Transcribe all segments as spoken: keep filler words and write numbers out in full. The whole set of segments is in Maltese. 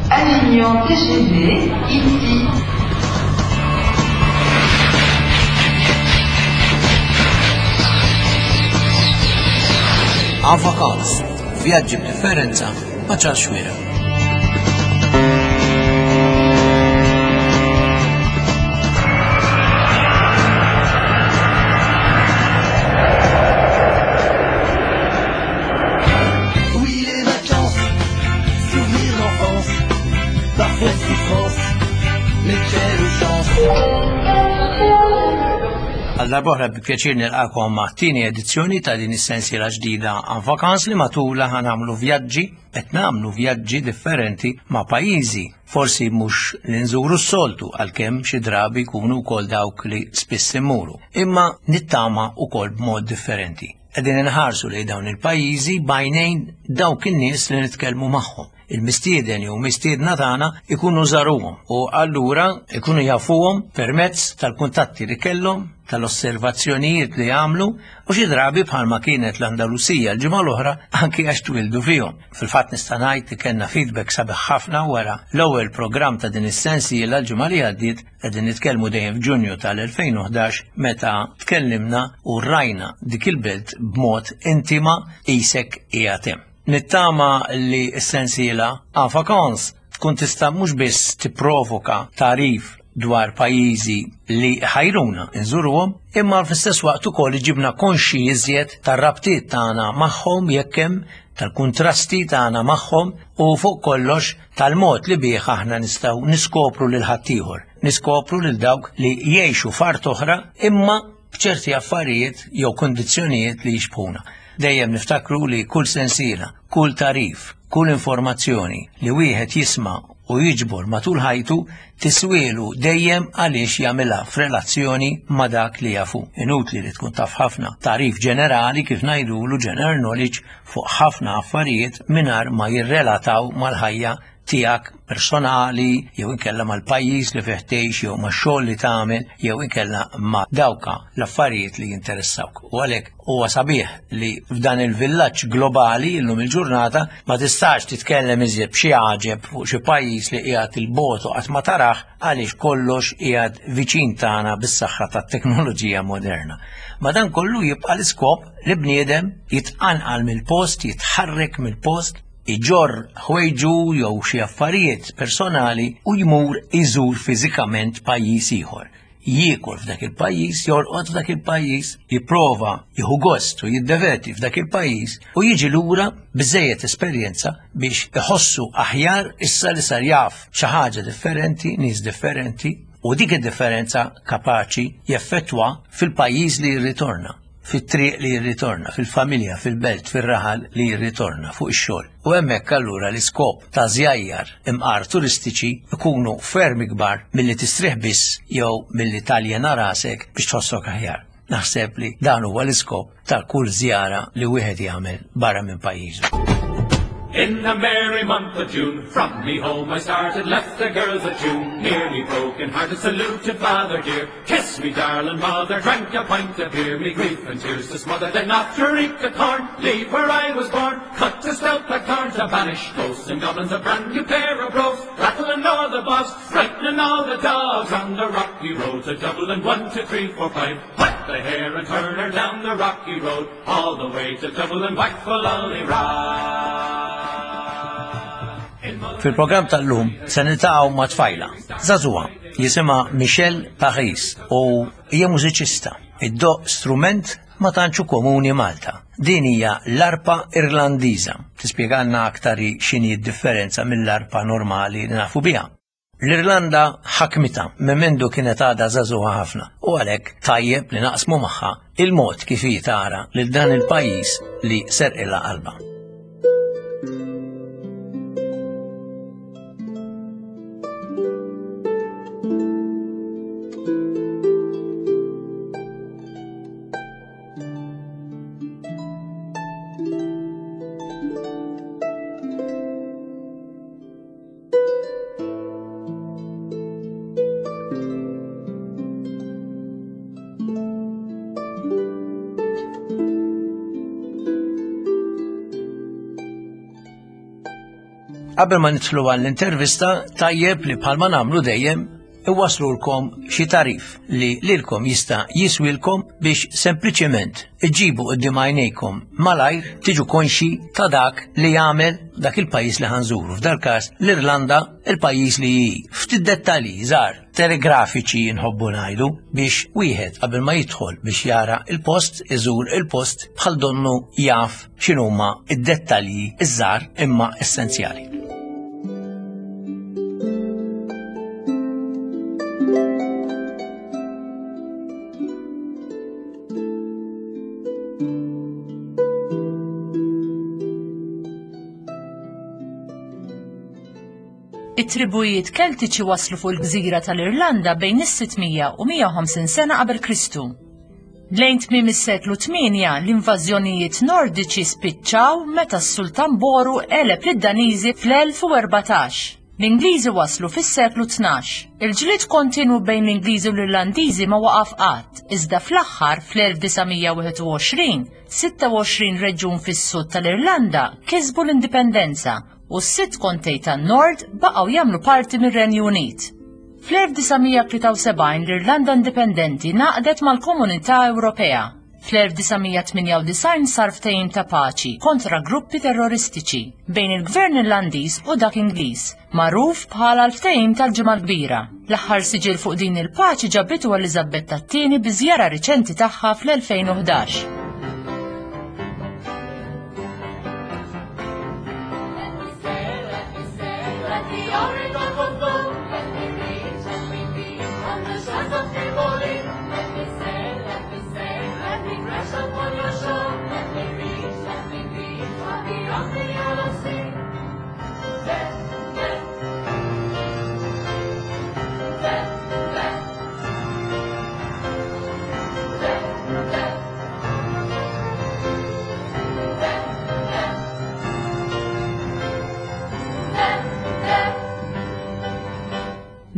Avignon T G V, ici. En vacances, vjaġġi b'differenza ma' Charles Xuereb. Oui, les vacances, souvenirs d'enfance, parfois souffrance, mais quelle chance. Għal darb'oħra bi pjaċir nilqakom ma' tieni edizzjoni ta' din is-sensiela ġdida En Vacances li matula ħa nagħmlu vjaġġi, qed nagħmlu vjaġġi differenti ma' pajjiżi, forsi mhux li nżuru s-soltu, għalkemm xi drabi jkunu wkoll dawk li spiss immuru, imma nittama wkoll b'mod differenti. Qegħdin inħarsu lejn dawn il-pajjiżi b'għajnejn dawk in-nies li nitkellmu magħhom. Il-mistieden jew mistiedna tagħna ikunu żaruhom u allura ikunu jafuhom permezz tal-kuntatti li kellhom, tal-osservazzjonijiet li għamlu u xi drabi, bħalma kienet l-Andalusija l-ġimgħa l-oħra, anki għax twildu fihom. Fil-fatt nista' ngħid li kellna feedback sabiħ ħafna wara l-ewwel programm ta' din is-sensiela l-ġimgħa li għaddiet, qegħdin nitkellmu dejjem f'Ġunju tal-elfejn u ħdax, meta tkellimna u rajna dik il-belt b'mod intima qisek qiegħed hemm. Nittama li s-sensiela En Vacances tkun tista' mhux biss tipprovoka tagħrif dwar pajjiżi li ħajruna nżuruhom, imma fl-istess waqt ukoll iġibna konxi iżjed tar-rabtiet tagħna magħhom jekk hemm, tal-kuntrasti tagħna magħhom u fuq kollox tal-mod li bih aħna nistgħu niskopru lil ħaddieħor, niskopru lil dawk li jgħixu f'art oħra imma b'ċerti affarijiet jew kondizzjonijiet li jixbhuna. Dejjem niftakru li kull sensiela, kull tagħrif, kull informazzjoni li wieħed jisma' u jiġbor matul ħajtu tiswielu dejjem għaliex jagħmilha f'relazzjoni ma' dak li jafu. Inutli li tkun taf ħafna tagħrif ġenerali, kif ngħidulu general knowledge, fuq ħafna affarijiet mingħajr ma jirrelataw mal-ħajja tiegħek personali jew inkella mal-pajjiż li fih tgħix jew max-xogħol li tagħmel jew inkella ma' dawka l-affarijiet li jinteressawk. U għalhekk huwa sabiħ li f'dan il-villaġġ globali illum il-ġurnata ma tistax titkellem iżjed b'xi għaġeb fuq xi pajjiż li qiegħed il-bogħod u qatt ma tarah, għaliex kollox qiegħed viċin tagħna bis-saħħa tat-teknoloġija moderna. Ma dan kollu jibqa' l-iskop li bniedem jitqanqal mill-post, jitħarrek mill-post, iġorr ħwejġu jew xi affarijiet personali u jmur iżur fiżikament pajjiż ieħor. Jiekol f'dak il-pajjiż, jorqod f'dak il-pajjiż, jipprova jieħu gost u jiddeverti f'dak il-pajjiż u jiġi lura biżejjed esperjenza biex iħossu aħjar issa li sar jaf xi ħaġa differenti, nies differenti, u dik id-differenza kapaċi jeffettwa fil-pajjiż li jirritorna, fit-triq li jirritorna, fil-familja, fil-belt, fil-raħal li jirritorna, fuq ix-xogħol. U hemmhekk allura l-iskop ta' żjajjar imqar turistiċi ikunu ferm ikbar milli tistrieħ biss jew milli taljena rasek biex tħossok aħjar. Naħseb li dan huwa l-iskop ta' kull żjara li wieħed jagħmel barra minn pajjiżu. In the merry month of June, from me home I started, left the girls at June, nearly broken hearted, saluted father dear, kissed me darling mother, drank a pint of beer, me grief and tears to smother, then off to reap the corn, leave where I was born, cut a stout blackthorn to banish ghosts and goblins, a brand new pair of brogues, rattling o'er the bogs, frightening all the dogs, on the rocky road to Dublin, one, two, three, four, five, whack the hare and turn her down the rocky road, all the way to Dublin, whack for lolly Fil-programm tal-lum se niltaqgħu ma' tfajla, żagħżugħa, jisimha Michelle Paris u hija mużiċista. Iddoqq strument ma tantx komuni Malta. Din hija l-arpa Irlandiża. Tispjegalna aktar x'inhi d-differenza mill-arpa normali li nafu biha. L-Irlanda ħakmitha minn mindu kienet għadha żagħżugħa ħafna u għalhekk tajjeb li naqsmu magħha il-mod kif hi tara lil dan il-pajjiż li serqilha qalbha. Qabel ma nidħlu għall-intervista, tajjeb li bħalma nagħmlu dejjem iwaslulkom xi tarif li lilkom jista' jiswilkom biex sempliċement iġibu quddiem għajnejkom malajr tiġu konxi ta' dak li jagħmel dak il-pajjiż li ħanżuru. F'dal każ l-Irlanda, il-pajjiż li ftit dettalji żgħar telegrafiċi nħobbu ngħidu biex wieħed qabel ma jidħol biex jara il-post, iżur il-post bħal donnu jaf x'inhuma id-dettalji iż-żgħar imma essenzjali. It-tribujiet Keltiċi waslu fuq il-gżira tal-Irlanda bejn is-sitt mija u mija u ħamsin sena qabel Kristu. Lejn tmiem is-seklu tmienja l-invażjonijiet Nordiċi spiċċaw meta s-Sultan Boru għeleb lid-Daniżi fl-elf u erbatax. L-Ingliżi waslu fis-seklu tnax. Il-ġlied kontinwu bejn l-Ingliżi u l-Irlandiżi ma waqaf qatt, iżda fl-aħħar fl-elf disa' mija wieħed u għoxrin, sitta u għoxrin reġjun fis-sud tal-Irlanda kisbu l-indipendenza u s-sitt kontej tan-Nord baqgħu jagħmlu parti mir-Renju Unit. Fl-elf disa' mija tlieta u sebgħin l-Irlanda Indipendenti naqdet mal-Komunità Ewropea. Fl-elf disa' mija tmienja u disgħin sar ftehim ta' paċi kontra gruppi terroristiċi bejn il-Gvern Irlandiż u dak Ingliż, magħruf bħala l-ftehim tal-Ġimgħa l-Kbira. L-aħħar siġil fuq din il-paċi ġabitu Eliżabetta t-tieni bi żjara riċenti tagħha fl-elfejn u ħdax.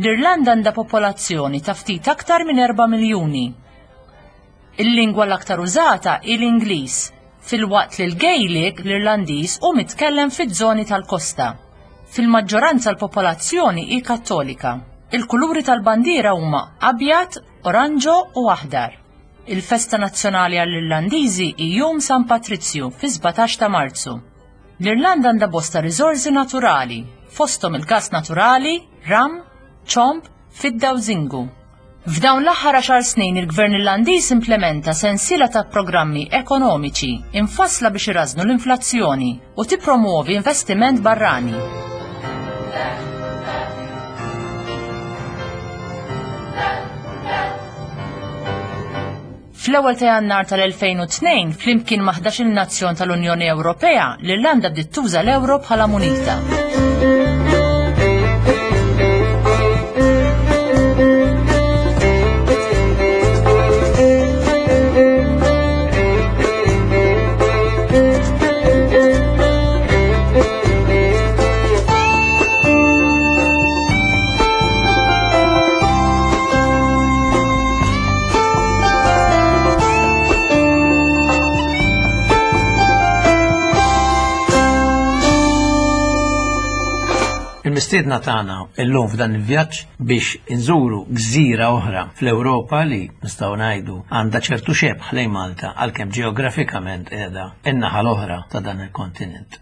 L-Irlanda għandha popolazzjoni ta' ftit aktar minn erba' miljuni. Il-lingwa l-aktar użata hi l-Ingliż, filwaqt li l-Gaelic l-Irlandiż hu mitkellem fiż-żoni tal-kosta. Fil-maġġoranza l-popolazzjoni hi Kattolika. Il-kuluri tal-bandiera huma abjad, oranġo u aħdar. Il-festa nazzjonali għall-Irlandiżi hi Jum San Patrizju fi sbatax ta' Marzu. L-Irlanda għandha bosta riżorsi naturali, fosthom il-gas naturali, ram, ċomb, fidda u zingu. F'dawn l-aħħar għaxar snin il-Gvern Irlandiż implementa sensiela ta' programmi ekonomiċi infassla biex irażnu l-inflazzjoni u tippromuovi investiment barrani. Fl-ewwel ta' Jannar tal-elfejn u tnejn, flimkien ma' ħdax-il nazzjon tal-Unjoni Ewropea, l-Irlanda bdiet tuża l-euro bħala munita. Il-mistiedna tagħna illum f'dan il-vjaġġ biex inżuru gżira oħra fl-Ewropa li nistgħu ngħidu għandha ċertu xebh lejn Malta għalkemm ġeografikament qiegħda in-naħa l-oħra ta' dan il-kontinent.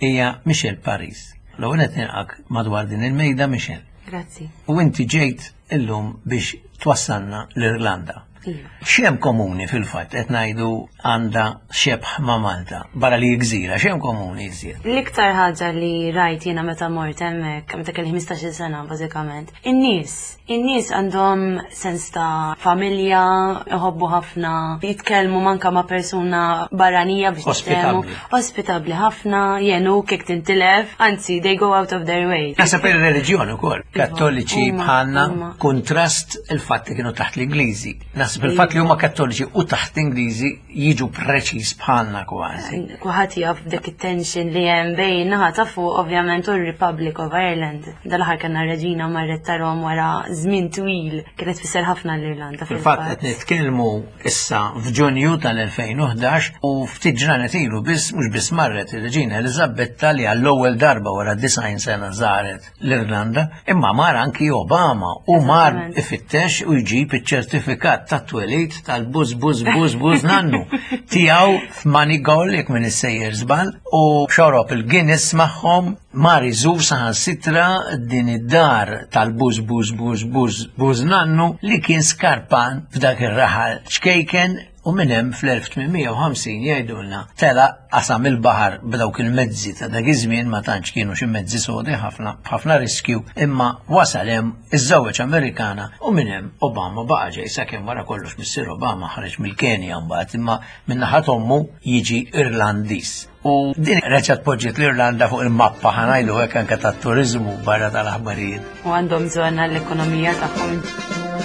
Hija Michelle Paris. L-ewwel qed nilqak madwar din il-mejda, Michelle. Grazzi. U inti ġejt illum biex twassalna l-Irlanda. Iva. X'hemm komuni fil-fatt qed ngħidu għandha xebh ma' Malta, barra li gżira, x'hemm komuni iżjed? L-iktar ħaġa li rajt jiena meta mort hemmhekk, meta kelli ħmistax-il sena bażikament, in-nies. In-nies għandhom sens ta' familja, iħobbu ħafna, jitkellmu manka ma' persuna barranija biex jitkellmu. Ospitabbli. Ospitabbli ħafna, jgħinuk jekk tintilef, anzi they go out of their way. Naħseb ir-reliġjon ukoll, Iva, Kattoliċi huma, bħalna, huma. kontrast il-fatt li kienu taħt l-Ingliżi. Naħseb Naħseb il-fatt li huma Kattoliċi u taħt Ingliżi jiġu preċiż bħalna kważi. Kulħadd jaf dik it-tension li hemm bejn naħa ta' fuq ovvjament u r-Republic of Ireland. Dal-aħħar kellna reġina marret tarahom wara żmien twil kienet tfisser ħafna l-Irlanda. Fil-fatt qed nitkellmu issa f'Ġunju tal-elfejn u ħdax u ftit ġranet ilu biss mhux biss marret ir-Reġina Eliżabetta li għall-ewwel darba wara disgħin sena żaret l-Irlanda, imma mar anki Obama u mar Eżattament. ifittex u jġib iċ-ċertifikat tat-twelid tal-buż buż buż buż nannu tiegħu f'Moneygall jekk min issejjer żball u xorob il-Guinness magħhom mar iżur saħansitra din id-dar tal-buż buż buż buż buż nannu li kien skarpan f'dak ir-raħal ċkejken u minn hemm fl-elf tmien mija u ħamsin jgħidulna tela qasam il-baħar b'dawk il-mezzi ta' dak iż-żmien ma tantx kienu xi mezzi sodi ħafna b'ħafna riskju imma wasal hemm iż-żewġ Amerikana u minn hemm Obama baqa' ġej sakemm wara kollox missier Obama ħareġ mill-Kenja mbagħad imma minn naħa t'ommu jiġi Irlandiż. U din reġgħet poġġiet l-Irlanda fuq il-mappa ħa ngħidu hekk anke tat-turiżmu barra tal-aħbarijiet. U għandhom bżonn għall-ekonomija tagħhom.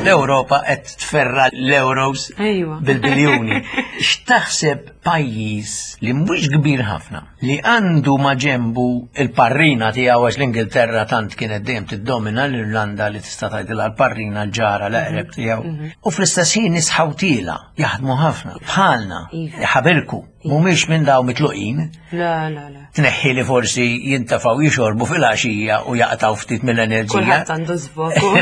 L-Ewropa qed tferra l-euros Ejwa. bil-biljuni. X'taħseb pajjiż li mhux kbir ħafna, li għandu ma ġembu il-parrina tiegħu għax l-Ingilterra tant kienet dejjem tiddomina l-Irlanda li tista' tgħidilha l-parrina l-ġara l-eqreb tiegħu. U fl-istess ħin nies ħawtiela jaħdmu ħafna bħalna, Iva. ħabilku, mhumiex minn daw mitluqin. La, la, la. Tneħħi li forsi jintafgħu jixorbu fil-għaxija u jaqtaw ftit mill-enerġija. Kulħadd għandu żvoku.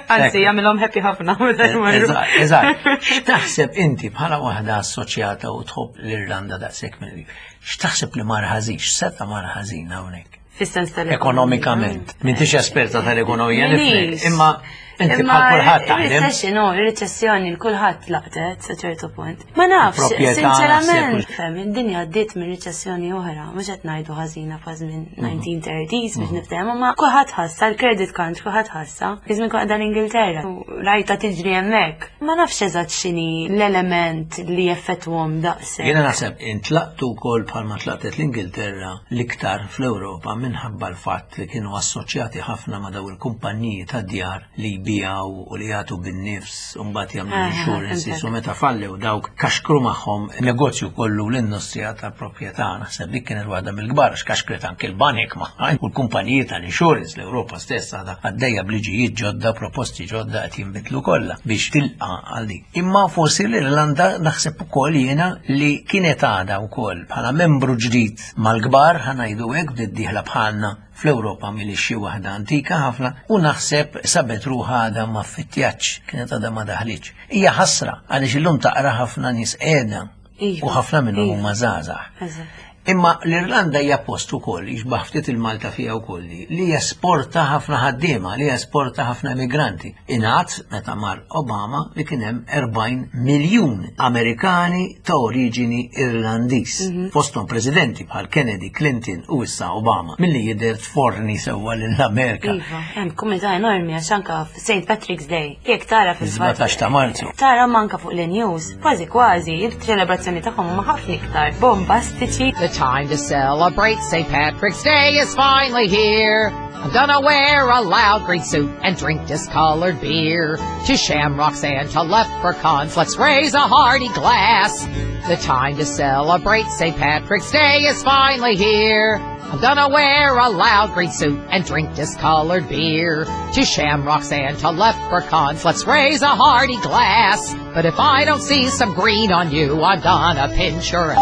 Anzi, jagħmilhom happy ħafna meta jmorru. Eżatt, eżatt. X'taħseb inti bħala waħda assoċjata u tħobb l-Irlanda daqshekk mill X'taħseb li mar ħażin, x'seta' mar ħażin hawnhekk? Fis-sens tal Ekonomikament. M'intix esperta tal-ekonomija nifhmek, Minix. imma inti Imma bħal kulħadd taħdem. Il-recession, no, il-reċessjoni l-kulħadd laqtet sa ċertu punt. Ma nafx, Proprjetà, sinċerament, naħseb. fem, id-dinja għaddiet minn riċessjoni oħra, mhux qed ngħidu ħażina fa' żmien nineteen thirties biex niftehmu, ma kulħadd ħassa l-credit crunch, kulħadd ħassa. Iżmin kont l-Ingilterra u rajta tiġri hemmhekk. Ma nafx eżatt x'inhi l-element li jeffettwhom daqshekk. Jiena naħseb intlaqtu wkoll bħalma tlaqtet l-Ingilterra l-iktar fl-Ewropa minħabba l-fatt li kienu assoċjati ħafna ma' daw il-kumpaniji ta' djar li jbijaw u li jagħtu bin-nifs u mbagħad jagħmlu Aha, insurances fhimtek. u meta fallew dawk kaxkru magħhom negozju kollu l-industrija tal-proprjetà. Naħseb dik kienet waħda mill-kbar għax kaxkret anke l-banek magħha u l-kumpaniji tal-insurance. L-Ewropa stess għadha għaddejja b'liġijiet ġodda, proposti ġodda qed jinbidlu kollha biex tilqa' għal dik. Imma forsi l-Irlanda naħseb ukoll jiena li kienet għadha wkoll bħala membru ġdid mal-kbar ħa ngħidu hekk bdiet dieħla bħalna fl-Ewropa milli xi waħda antika ħafna u naħseb sabet ruħha għadha ma ffittjatx, kienet għadha ma daħlitx. Hija ħasra għaliex illum taqra ħafna nies qiegħda Iva, u ħafna minnhom iva. huma żgħażagħ. Eżatt. Imma l-Irlanda hija post ukoll, jixbaħ ftit il-Malta fiha wkoll li, li jesporta ħafna ħaddiema, li jesporta ħafna immigranti. Ingħad meta mar Obama li kien hemm erbgħin miljun Amerikani ta' oriġini Irlandiż. Mhm. Fosthom presidenti bħal Kennedy, Clinton u issa Obama, milli jidher tforni sewwa lill-Amerika. Iva, hemm komunità enormi għax anka Saint Patrick's Day. Jekk tara fil-fatt. Sbatax ta' Marzu. Tara manka fuq l-news, kważi kważi, il-ċelebrazzjoni tagħhom huma ħafna iktar bombastiċi. The time to celebrate Saint Patrick's Day is finally here. I'm gonna wear a loud green suit and drink discolored beer. To shamrocks and to leprechauns, let's raise a hearty glass. The time to celebrate Saint Patrick's Day is finally here. I'm gonna wear a loud green suit and drink discolored beer. To shamrocks and to leprechauns, let's raise a hearty glass. But if I don't see some green on you, I'm gonna pinch your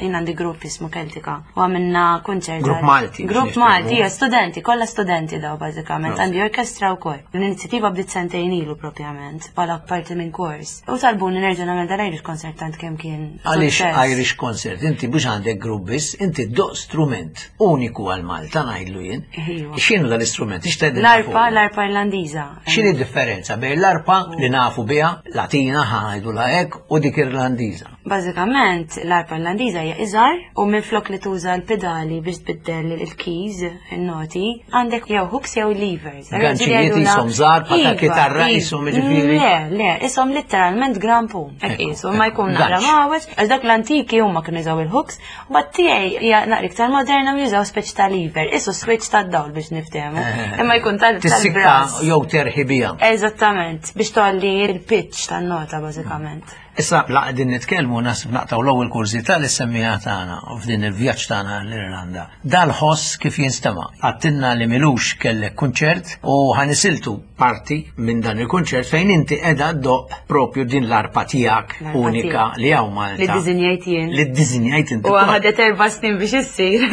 Jien għandi grupp jismu Keltika u għamilna kunċert. Grupp Malti, Grupp biex Malti, nitkellmu. hija studenti, kollha studenti daw bażikament. Prosit. Għandi orkestra wkoll. L-inizjattiva bdiet sentejn ilu propjament, bħala parti minn kors. U talbuni nerġa' nagħmel dal-Irish concert tant kemm kien Għaliex suċċess. Irish concert, inti biex għandek grupp biss, inti ddoqq strument uniku għal Malta ngħidlu jien. Ejwa. X'inhu dal-istrument? Ix tgħidilna L-arpa, fuqu? l-arpa Irlandiża. X'inhi d-differenza bejn l-arpa li nafu biha, Latina ħa ngħidu la hekk, u dik Irlandiża? Bażikament l-arpa Irlandiża hija iżgħar u minflok li tuża l-pedali biex tbiddel il-keys, il-noti, għandek jew hooks jew levers. Ganċijiet qishom żgħar bħal ta' Iva, kitarra iva. qishom jiġifieri. Le, le, qishom literalment grampun. Hekk Ekku, qisu, ma jkun ekku, naqra ganċ. mawġ, għax dak l-antiki huma kienu jużaw il-hooks, u bat tiegħi hija naqra iktar moderna u jużaw speċi ta' lever, qisu switch tad-dawl biex niftehmu. Imma jkun tal- Tissikka tal-brass. jew terħi bija. Eżattament, biex tolli il-pitch tan-nota bażikament. Issa la qegħdin nitkellmu nasib naqtaw l-ewwel kurżità li semmija tagħna u f'din il-vjaġġ tagħna l-Irlanda. Dal-ħoss kif jinstema'. Għedtilna li m'ilux kellek kunċert u ħa nisiltu parti minn dan il-kunċert fejn inti qiegħda ddoqq propju din l-arpa tiegħek L-arpa unika tiegħek. li hawn Malta. Li ddisinjajt jien. Li ddisinjajt inti. U ħadet erba' snin biex issir.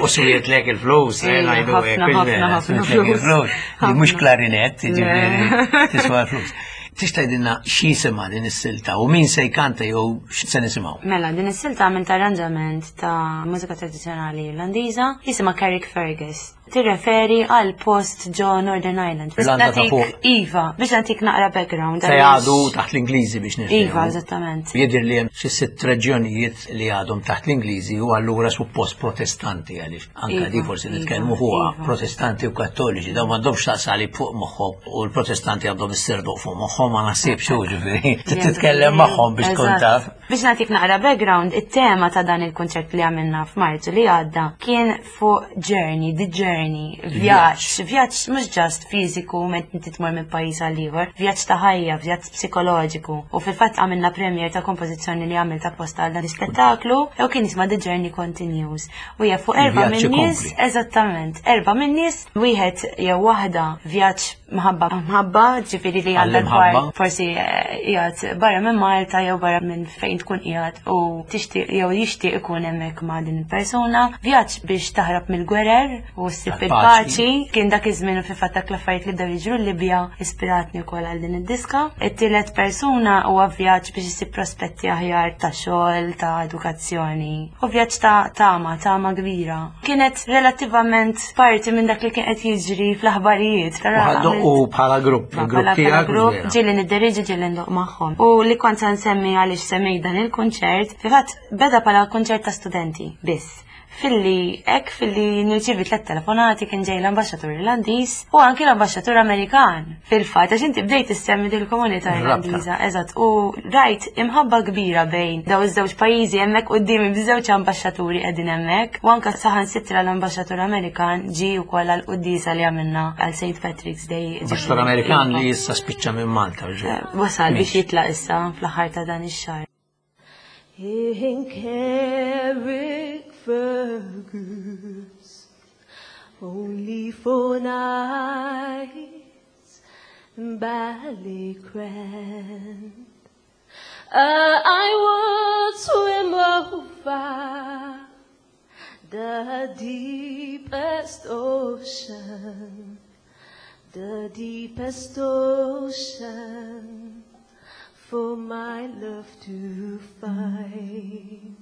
U swietlek il-flus, eh, Ejja, ngħidu hekk, ħafna, mhux vera, ħafna, ħafna swietlek flus. il-flus. Li mhux Ħafna. klarinett, jiġifieri, Le. tiswa l-flus. Tista' tgħidilna x'jisimha din is-silta u min se jkanta jew x'se nisimgħu? Mela, din is-silta għamilt arranġament ta' mużika tradizzjonali Irlandiża jisimha Carrick Fergus. Tirreferi għal post ġo Northern Ireland. Biex Irlanda ta' nagħtik- fuq. Iva, biex nagħtik naqra background. Se jgħadu taħt l-Ingliżi biex nifhmu. Iva, eżattament. Jidher li hemm xi sitt reġjonijiet li għadhom taħt l-Ingliżi u allura suppost protestanti għaliex anka Iva, di forsi iva, nitkellmu fuqha iva. protestanti u kattoliċi dawn m'għandhomx taqsali fuq moħħhom u l-protestanti għandhom is-serduq fuq moħħhom ma naħsibx hu ġifieri. Titkellem magħhom biex tkun Eżatt. taf. Biex nagħtik naqra background, it-tema ta' dan il-konċert li għamilna f'Marzu li għadda kien fuq journey, the journey, vjaġġ, vjaġġ mhux just fiżiku meta inti tmur minn pajjiż għal ieħor, vjaġġ ta' ħajja, vjaġġ psikoloġiku. U fil-fatt għamilna premier ta' kompożizzjoni li għamilt apposta għal dan l-ispettaklu, u kien jisma' The Journey Continues. U hija fuq erba' Il-vjaġġ minn nies, ikompli. eżattament, erba' minn nies, wieħed jew waħda vjaġġ mħabba mħabba, ġifieri li għandha Għall-imħabba. dwar forsi eh, qiegħed barra minn Malta jew barra minn fejn tkun qiegħed u tixtieq jew jixtieq ikun hemmhekk ma' din il-persuna. Vjaġġ biex taħrab mill-gwerer u ssib Għal-paċi. il-paċi. Kien dak iż-żmien u fil-fatt dak l-affarijiet li bdew jiġru l-Libja ispiratni wkoll għal din id-diska. It-tielet persuna huwa vjaġġ biex issib prospetti aħjar ta' xogħol, ta' edukazzjoni. U vjaġġ ta' tama, tama kbira. Kienet relattivament parti minn dak li kien qed jiġri fl-aħbarijiet. U ħa ddoqqu bħala grupp, Ma il-grupp bħala bħala tiegħek. grupp, vera. ġieli nidderiġi ġieli ndoqq magħhom. U li kont se nsemmi għaliex semmej dan il-kunċert, fil-fatt beda bħala kunċert ta' studenti biss. Filli, ek filli nirċivi tlet telefonati kien ġej l-ambaxxatur Irlandiż u anki l-ambaxxatur Amerikan. Fil-fatt, għax inti bdejt issemmi dil-komunità Ir-rabta. Irlandiża, eżatt, u rajt imħabba kbira bejn daw iż-żewġ pajjiżi hemmhekk qudiem biż-żewġ ambaxxaturi qegħdin hemmhekk u anke saħansitra l-ambaxxatur Amerikan ġie wkoll għal quddiesa li għamilna għal Saint Patrick's Day. Ambaxxatur Amerikan li issa spiċċa minn Malta. ġu. Eh, Wasal biex Miex. jitlaq issa fl-aħħar ta' dan ix-xahar. In Carrick Fergus, only four nights in Ballycran. Uh, I would swim over the deepest ocean, the deepest ocean for my love to find.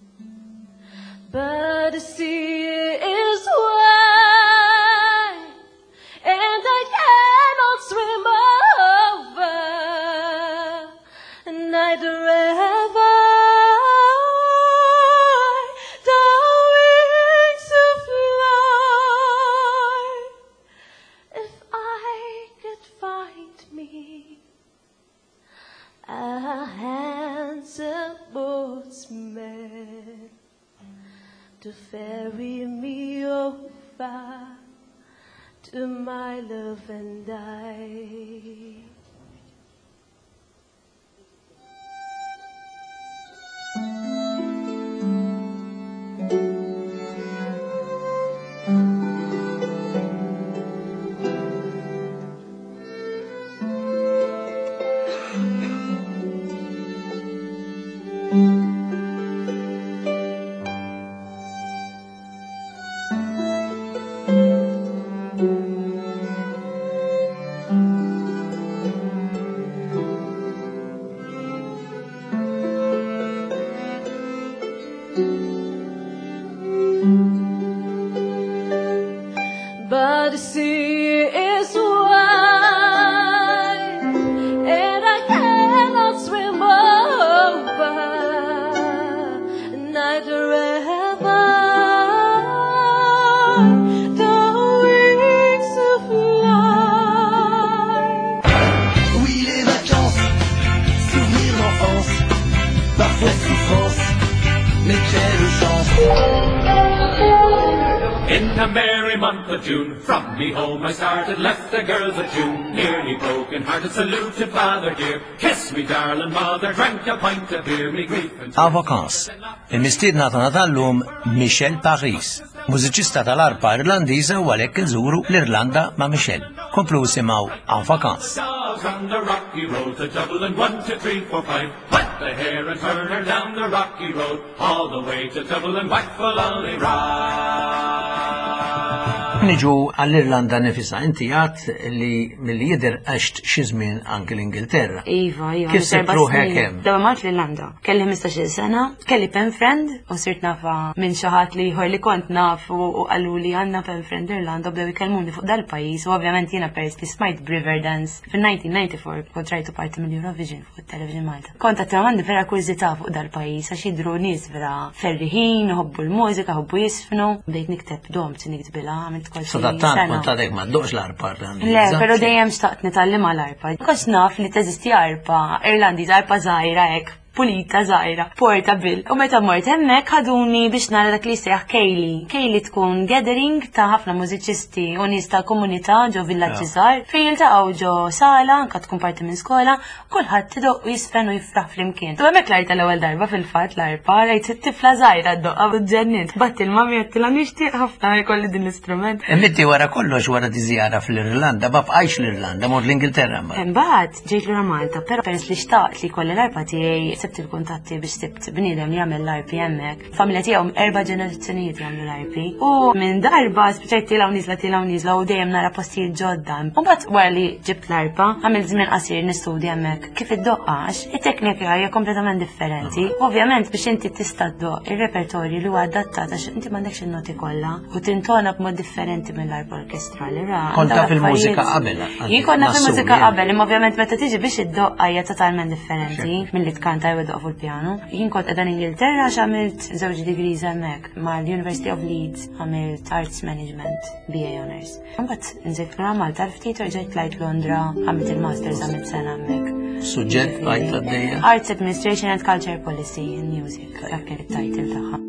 But the sea is wide, and I cannot swim over, neither have I the wings to fly. If I could find me a handsome boatsman to ferry me over to my love and I. Thank merry month of June, from me home I started, left the girls at June, nearly broken hearted, saluted father dear, kiss me darling mother, drank a pint of beer, me grief and En Vacances. Il-mistiedna tagħna tal-lum Michelle Paris, mużiċista tal-arpa Irlandiża u għalhekk inżuru l-Irlanda ma' Michelle. Komplu simgħu En Vacances. Dogs on the rocky road to Dublin, one, two, three, four, five. Wet the hare and turn her down the rocky road, all the way to Dublin, whack for lolly Niġu għall-Irlanda nifisha, inti għat li milli jidher għext xi żmien anki l-Ingilterra. Iva, iva. Kif sibt erba' ruħek snin. hemm? Dawel mort l-Irlanda. Kelli ħmistax-il sena, kelli pen friend u sirt nafa minn xi ħadd li ieħor li kont naf u u qalu li għandna pen friend Irlanda u bdew ikellmuni fuq dal-pajjiż u ovvjament jiena peress li smajt Riverdance fil-elf disa' mija disgħa u disgħin kont rajtu parti mill-Eurovision fuq il-Television Malta. Kont għattu għandi vera kurżità fuq dal-pajjiż għax jidru nies vera ferriħin, ħobbu l-mużika, ħobbu jisfnu. Bdejt nikteb domt niktbilha, għamilt kważi Sadattant sena. kont għadek ma ddoqx l-arpa Irlandiża. Le, pero dejjem xtaqt nitgħallem l-arpa. Kont naf li teżisti arpa Irlandiża, arpa żgħira hekk, pulita żgħira, portable. U meta mort hemmhekk ħaduni biex nara dak li jsejjaħ Ceilidh. Ceilidh tkun gathering ta' ħafna mużiċisti u nies ta' komunità ġo villaġġi żgħar fejn jiltaqgħu ġo sala, anka tkun parti minn skola, kulħadd idoq u jisfen u jifraħ flimkien. U hemmhekk rajt l-ewwel darba fil-fatt l-arpa, rajt tifla żgħira ddoqqa u ġennint. Bgħatt il-mami għedtilha nixtieq ħafna jkolli din l-istrument. Imma wara kollox wara di żjara fl-Irlanda, ma bqajx l-Irlanda, mort l-Ingilterra mbagħad. Imbagħad ġejt lura Malta, però peress li xtaqt li kolli l-arpa tiegħi sibt il-kuntatti biex sibt bniedem li jagħmel l-arpi hemmhekk. Familja tiegħu erba' ġenerazzjonijiet jagħmlu l-arpi. U minn darba spiċċajt tilgħu niżla tilgħu niżla u dejjem nara postijiet ġodda. U mbagħad wara li ġibt l-arpa, għamilt żmien qasir nistudja hemmhekk kif iddoqqa għax it-teknika hija kompletament differenti. Ovvjament biex inti tista' ddoq ir-repertorju li huwa adattat għax inti m'għandekx in-noti kollha u tintona b'mod differenti mill-arpa orkestrali. Ra, Kont dawn taf il-mużika affarijiet- qabel, Jien konna fil-mużika nassumi, qabel, imma ovvjament meta tiġi biex iddoqqa hija totalment differenti milli tkanta jew iddoq fuq il-pjanu. Jien kont qiegħda Ingilterra għax għamilt żewġ degrees hemmhekk mal-University of Leeds għamilt Arts Management B A Honours. Imbagħad nżilt lura Malta ftit u rġajt tlajt Londra, għamilt il-Masters, għamilt sena hemmhekk. Suġġett bqajt għaddejja. Arts Administration and Culture Policy in Music, dak kien it-title tagħha.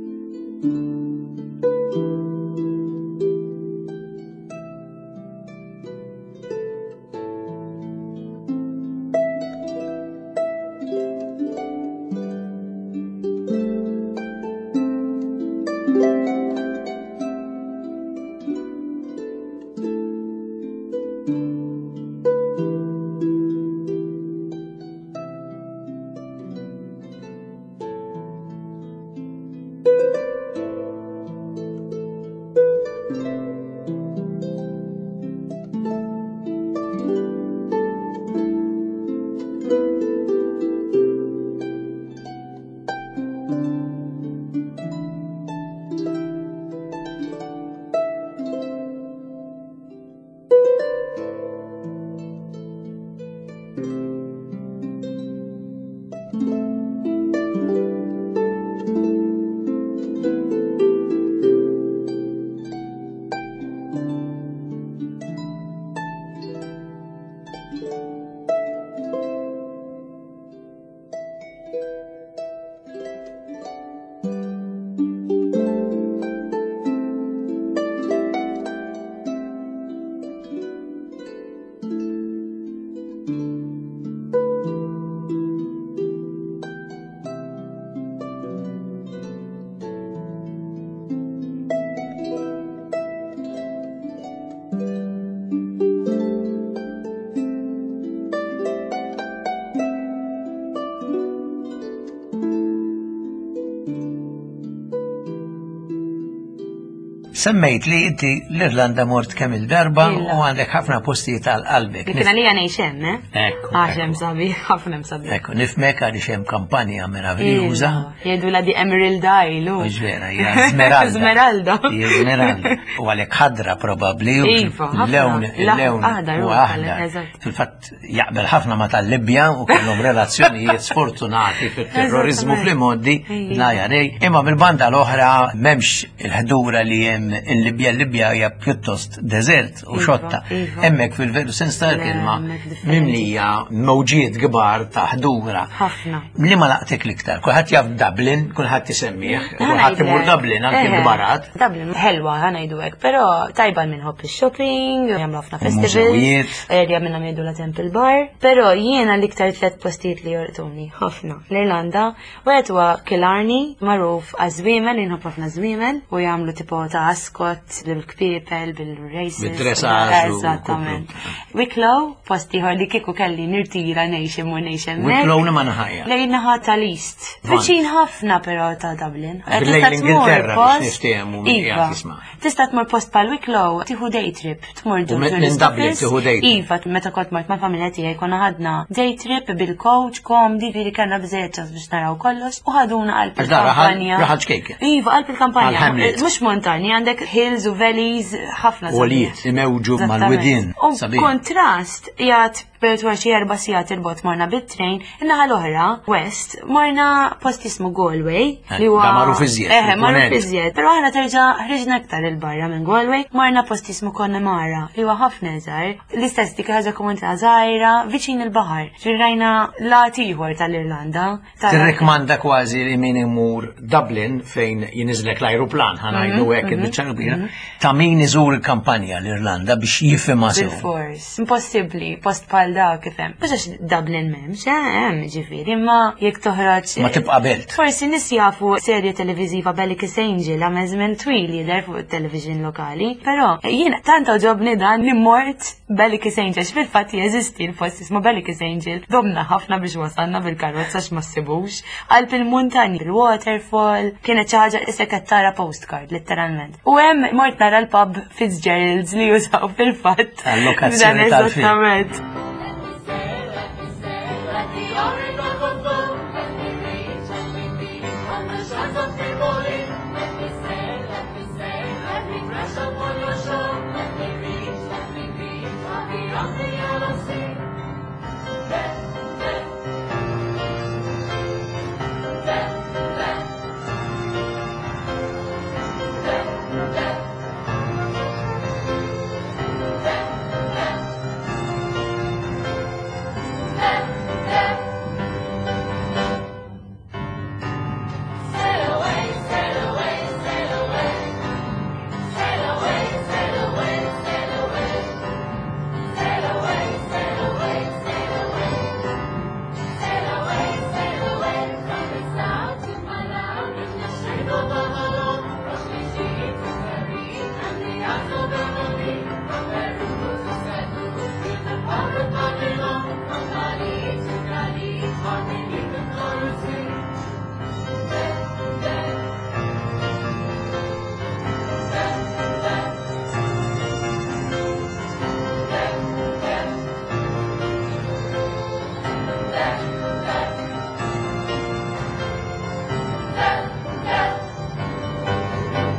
Semmejt li inti l-Irlanda mort kemm il-darba Illa. u għandek ħafna postijiet għal qalbek. Li kien għalija ngħix hemm, eh? Ekku, Għax hemm ekku. sabiħ, ħafna hemm sabiħ. Ekku, nifhmek għaliex hemm kampanja meraviljuża. Jgħidu la di Emerald Isle. u. Mhux vera, hija Smeralda. Smeralda. Hija Smeralda. U għalhekk ħadra probabbli u Iva, ħafna. l-lewn il-lewn Aħdar, u u aħdar. eżatt. Fil-fatt jaqbel ħafna ma tal-Libja u kellhom relazzjonijiet sfortunati fit-terrorizmu Eżattament. fl-modi Iva. la jarej. Imma mill-banda l-oħra m'hemmx il-ħdura li hemm il-Libja, il-Libja hija pjuttost deżert u Iva, xotta. iva. Hemmhekk fil-veru sens tal-kelma Le, hemmhekk differenti. mimlija mewġiet kbar ta' ħdura. Ħafna. Li ma laqtek l-iktar? Kulħadd jaf Dublin, kulħadd isemmih, kulħadd imur Dublin anke Eħe. l-kbarat. Dublin ħelwa ħa ngħidu hekk, però tajba min iħobb ix-shopping, jagħmlu ħafna festivals. Mużewijiet. Area minnhom jgħidu la Temple Bar, però jiena l-iktar tliet postijiet li jolqtuni ħafna. L-Irlanda, wieħed huwa Killarney, magħruf għaż-żwiemel, inħobb ħafna żwiemel, u jagħmlu tipo ta' Ascot, bil-kpiepel, bil-races. Bid-dressage u Eżattament. Wicklow, post ieħor li kieku kelli nirtira ngħix imur ngħix hemmhekk. Wicklow li ma naħajja. Lejn naħa tal-East. Vant. Viċin ħafna però ta' Dublin. Lejn Tista' tmur l-Ingilterra biex post- niftehmu min Iva. qiegħed jisma'. Tista' tmur post bħal Wicklow, tieħu day trip, tmur U minn tourist Dublin office. tieħu day trip. Iva, meta kont mort mal-familja tiegħi konna ħadna day trip bil-coach, komdi, ġifieri kellna biżejjed ċans biex naraw kollox u ħaduna qalb Għax da raħal- il-kampanja. raħal ċkejken. Iva, qalb il-kampanja. Għal Hamlet. Mhux montani, għandek hills u valleys ħafna. sabiħ. Għolijiet, imewġu Eżattament. mal-widien. U Sabiħ. kontrast, jgħat per xi erba' sigħat il-bot morna bit-train, in-naħa l-oħra, West, morna post jismu Galway. Eh, Li huwa da magħruf iżjed, Eħe, magħruf il-punent. iżjed. Però aħna terġa' ħriġna aktar il-barra minn Galway, morna post jismu Connemara, li huwa ħafna iżgħar. L-istess dik ħaġa komunità żgħira, viċin il-baħar. Ġifieri rajna lat ieħor tal-Irlanda. tal- Tirrekmanda kważi li min imur Dublin fejn jiniżlek l-ajruplan, ħa ngħidu Mhm, hekk il-biċċa kbira, ta' min iżur il-kampanja l-Irlanda biex jifhimha sew. Bil-fors. Impossibbli, post bħal da kif hemm. Mhux għax Dublin m'hemmx, eh, hemm ġifieri, imma jekk toħroġ. Ma tibqa' belt. Forsi nies jafu serje televiżiva Bellicus Angel għamel żmien twil jidher fuq it-television lokali, però jiena tant għoġobni dan li mort Bellicus Angel, għax fil-fatt jeżisti l-post jismu Bellicus Angel. Domna ħafna biex wasalna bil-karozza għax ma ssibux. Qalb il-muntanji, il-waterfall, kienet xi ħaġa issa qed tara postcard letteralment. U hemm mort nara l-pub Fitzgerald's li jużaw fil-fatt. Tal-lokazzjoni Dan tal-film. eżattament. Let the Orinoco flow, let me reach, let me be on the shores of Tripoli. Let me sail, let me sail, let me crash upon your shore. Let me reach, let me be far beyond the yellow sea. There, there. There, there. There, there. There, there. There, there. Sail away, sail away, sail away. Sail away, sail away, sail away. Sail away, sail away, sail away. Sail away, sail away from the south to my land in the shape of Avalon. From Egypt to Paris and the Isles of Emily. From Peru to Cebu to the power of Babylon. From Mali to Cali, or beneath the coral sea. There, there. There, there. There, there. There, there. There, there.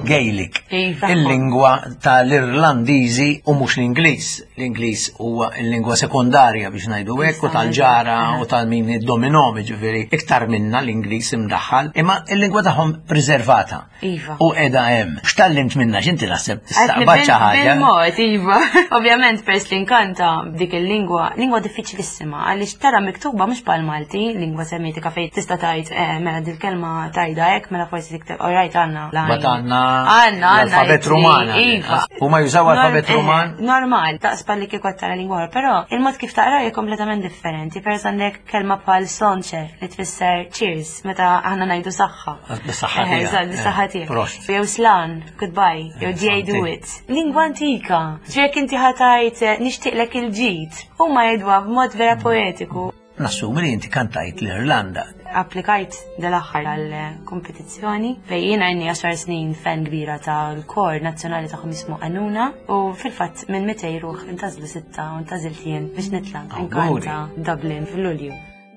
Gaelic, Iva. il-lingwa tal-Irlandiżi u mhux l-Ingliż. L-Ingliż huwa l-lingwa sekondarja biex ngħidu hekk u tal-ġara u tal-min id-dominom, ġifieri iktar minna l-Ingliż imdaħħal, imma il-lingwa tagħhom preservata. Iva. U qiegħda hemm. X'tallimt minna x'inti naħseb Għatni tistaqbad xi ħaġa? Bil-mod, iva. Ovvjament, pers li nkanta b'dik il-lingwa, lingwa diffiċilissima, għaliex tara miktuba mhux bħal Malti, lingwa semitika fejn tista' tgħid eh, mela dil-kelma tajda hekk, mela forsi tikteb, alright għandna. Bat għandna Għandna, għandna l-alfabet ittri, Ruman. Iva. Huma jużaw alfabet Norm- eh, Ruman? Normal, taqspa li kieku tara lingwa oħra, però il-mod kif taqra hija kompletament differenti. Per għandek kelma bħal sláinte li tfisser cheers meta aħna ngħidu saħħa. Bis-saħħa Eh, tiegħek. eżatt, bis-saħħa Eh, tiegħek. prost. Jew slán, goodbye, jew Dia santi. duit. Lingwa antika. Ġifieri inti ħa tgħid eh, nixtieqlek il-ġid. Huma jgħidwa b'mod vera poetiku. Nassumi li inti kantajt l-Irlanda. Applikajt dal-aħħar għal kompetizzjoni fejn jiena inni għaxar snin fan kbira tal-kor nazzjonali tagħhom jismu Anúna u fil-fatt minn mitejn ruħ intgħażlu sitta u ntgħażilt jien biex nitla' Awguri. nkanta Dublin fil-Lulju.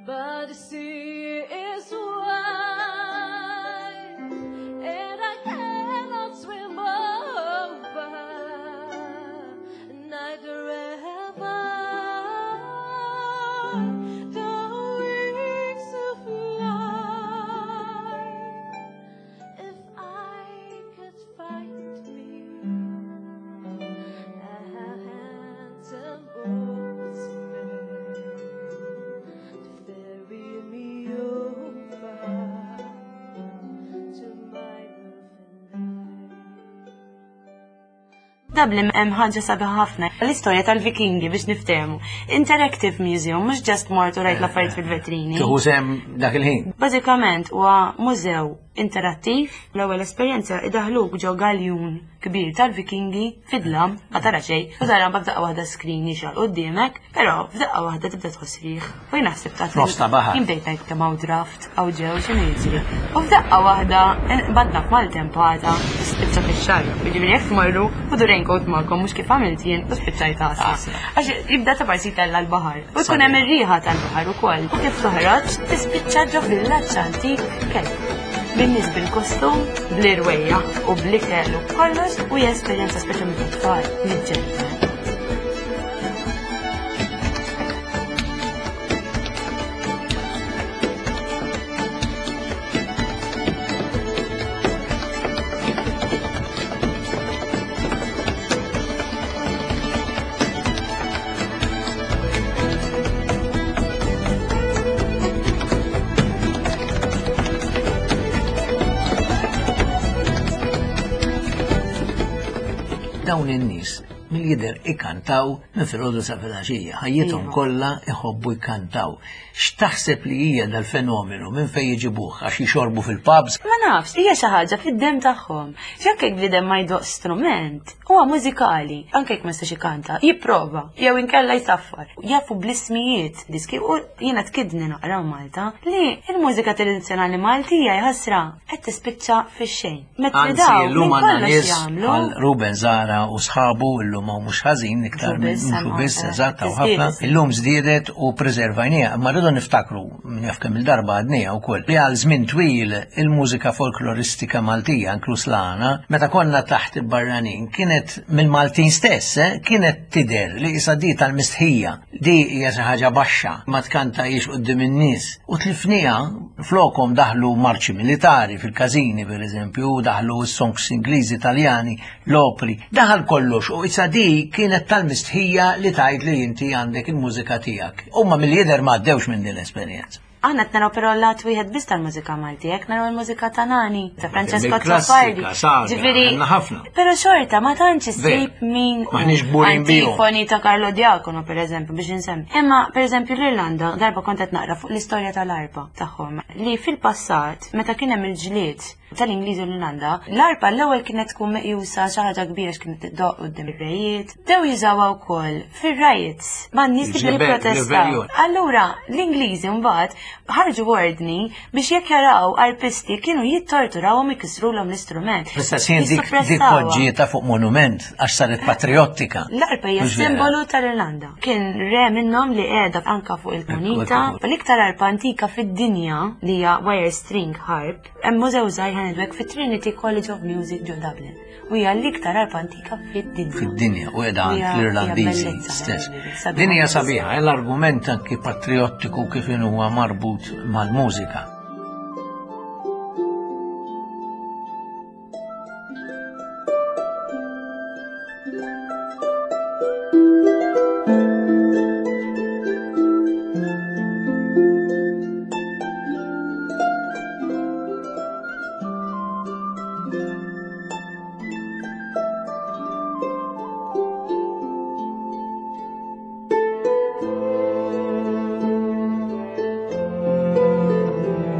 But the sea is wide, and I cannot swim over, neither have I the wings to fly. If I could find me Dublin hemm ħaġa sabiħa ħafna. L-istorja tal-Vikingi biex niftehmu. Interactive museum, mhux just mort u rajt l-affarijiet fil-vetrini. Tieħu sehem dak il-ħin. Bażikament huwa mużew interattiv. L-ewwel esperjenza idaħluk ġo galjun kbir tal-Vikingi fid-dlam, ma tara xejn, u tara mbagħad f'daqqa waħda screen jixgħal quddiemek, però f'daqqa waħda tibda tħoss riħ. U jien naħseb ta' F'nofs ta' baħar. Jien bdejt ngħid kemm hawn draft, hawn ġew x'inhu jiġri. U f'daqqa waħda badna f'maltempata u spiċċa fix-xagħar. Jiġifieri jekk tmorru ħudu raincoat magħkom mhux kif għamilt jien u spiċċajt għasra. Għax jibda ta' parsi tella l-baħar. U tkun hemm ir-riħa tal-baħar ukoll. U kif toħroġ tispiċċa ġo villaġġ antik kelb. Bin-nies bil-kostum, bl-irwejja u bl-ikel u kollox u hija esperjenza speċjalment għat-tfal li ġġennen. Dawn in-nies mill-jidher ikantaw minn filgħodu sa filgħaxija, ħajjithom Iva. kollha iħobbu jkantaw. X'taħseb li hija dal-fenomenu minn fejn jiġibuh għax jixorbu fil-pubs? Ma nafx, hija xi ħaġa fid-dem tagħhom. X'anke jekk bniedem ma jdoq strument, huwa mużikali, anke jekk ma jistax ikanta, jipprova, jew inkella jsaffar. Jafu bl-ismijiet diski u jiena tkidni naqra Malta li l-mużika tradizzjonali Maltija jħassra qed tispiċċa fix-xejn. Metri Anzi, daw illum minn għandna kollox nies jagħmlu. bħal Ruben Zara u sħabu illum hawn mhux ħażin iktar Mhux minn biss, mhux hemm biss ħafna. eżatt hawn ħafna. Żdiedet. Illum żdiedet u preservajniha, imma rridu niftakru min jaf kemm il-darba għadniha wkoll li għal żmien twil il-mużika folkloristika Maltija, inkluż l-għana, meta konna taħt il-barranin, kienet mill-Maltin stess, eh, kienet tidher li issa di tal-mistħija, di hija xi ħaġa baxxa, ma tkantajiex quddiem in-nies. U tlifniha flokom daħlu marċi militari fil-każini pereżempju, daħlu s-songs Ingliżi, Taljani, l-opri, daħal kollox u issa di kienet tal-mistħija li tgħid li inti għandek il-mużika tiegħek. Huma mill-jidher ma għaddewx minn din l-esperjenza. Aħna qed naraw però lat wieħed biss tal-mużika Malti, jekk naraw il-mużika ta' Nani, ta' Francesco Il-klassika, Azzopardi. sagra, Ġifieri, għandna ħafna. Però xorta ma tantx issib Ver. min Maħniex kburin bihom. Antifoni ta' Carlo Diacono pereżempju biex insemmi. Imma pereżempju l-Irlanda darba kont qed naqra fuq l-istorja tal-arpa tagħhom li fil-passat meta kien hemm il-ġlied tal-Ingliżi u l-Irlanda, l-arpa l-ewwel kienet tkun meqjusa xi ħaġa kbira x'kienet tiddoq quddiem ir-rejiet. Bdew jużawha wkoll fir-riots man-nies li Il-ġebel, jipprotestaw. rebellion. Allura, l-Ingliżi mbagħad ħarġu ordni biex jekk jaraw arpisti kienu jittorturawhom ikissrulhom l-istrument. Fl-istess ħin dik dik Jissuppressawha. poġġieta fuq monument għax saret patriottika. L-arpa hija Mhux vera? simbolu tal-Irlanda. Kien re minnhom li qiegħda anka fuq il-munita. Ekku, ekku. L-iktar arpa antika fid-dinja li hija wire string harp, hemm mużew żgħir ħanidwek fit-Trinity College of Music ġo Dublin. U hija l-iktar arpa antika fid-dinja. Fid-dinja u qiegħda għand Hija- l-Irlandiżi hija bellezza, stess. sabiħa. Din hija sabiħa, l-argument anki patriottiku kif huwa marbut mal-mużika. Thank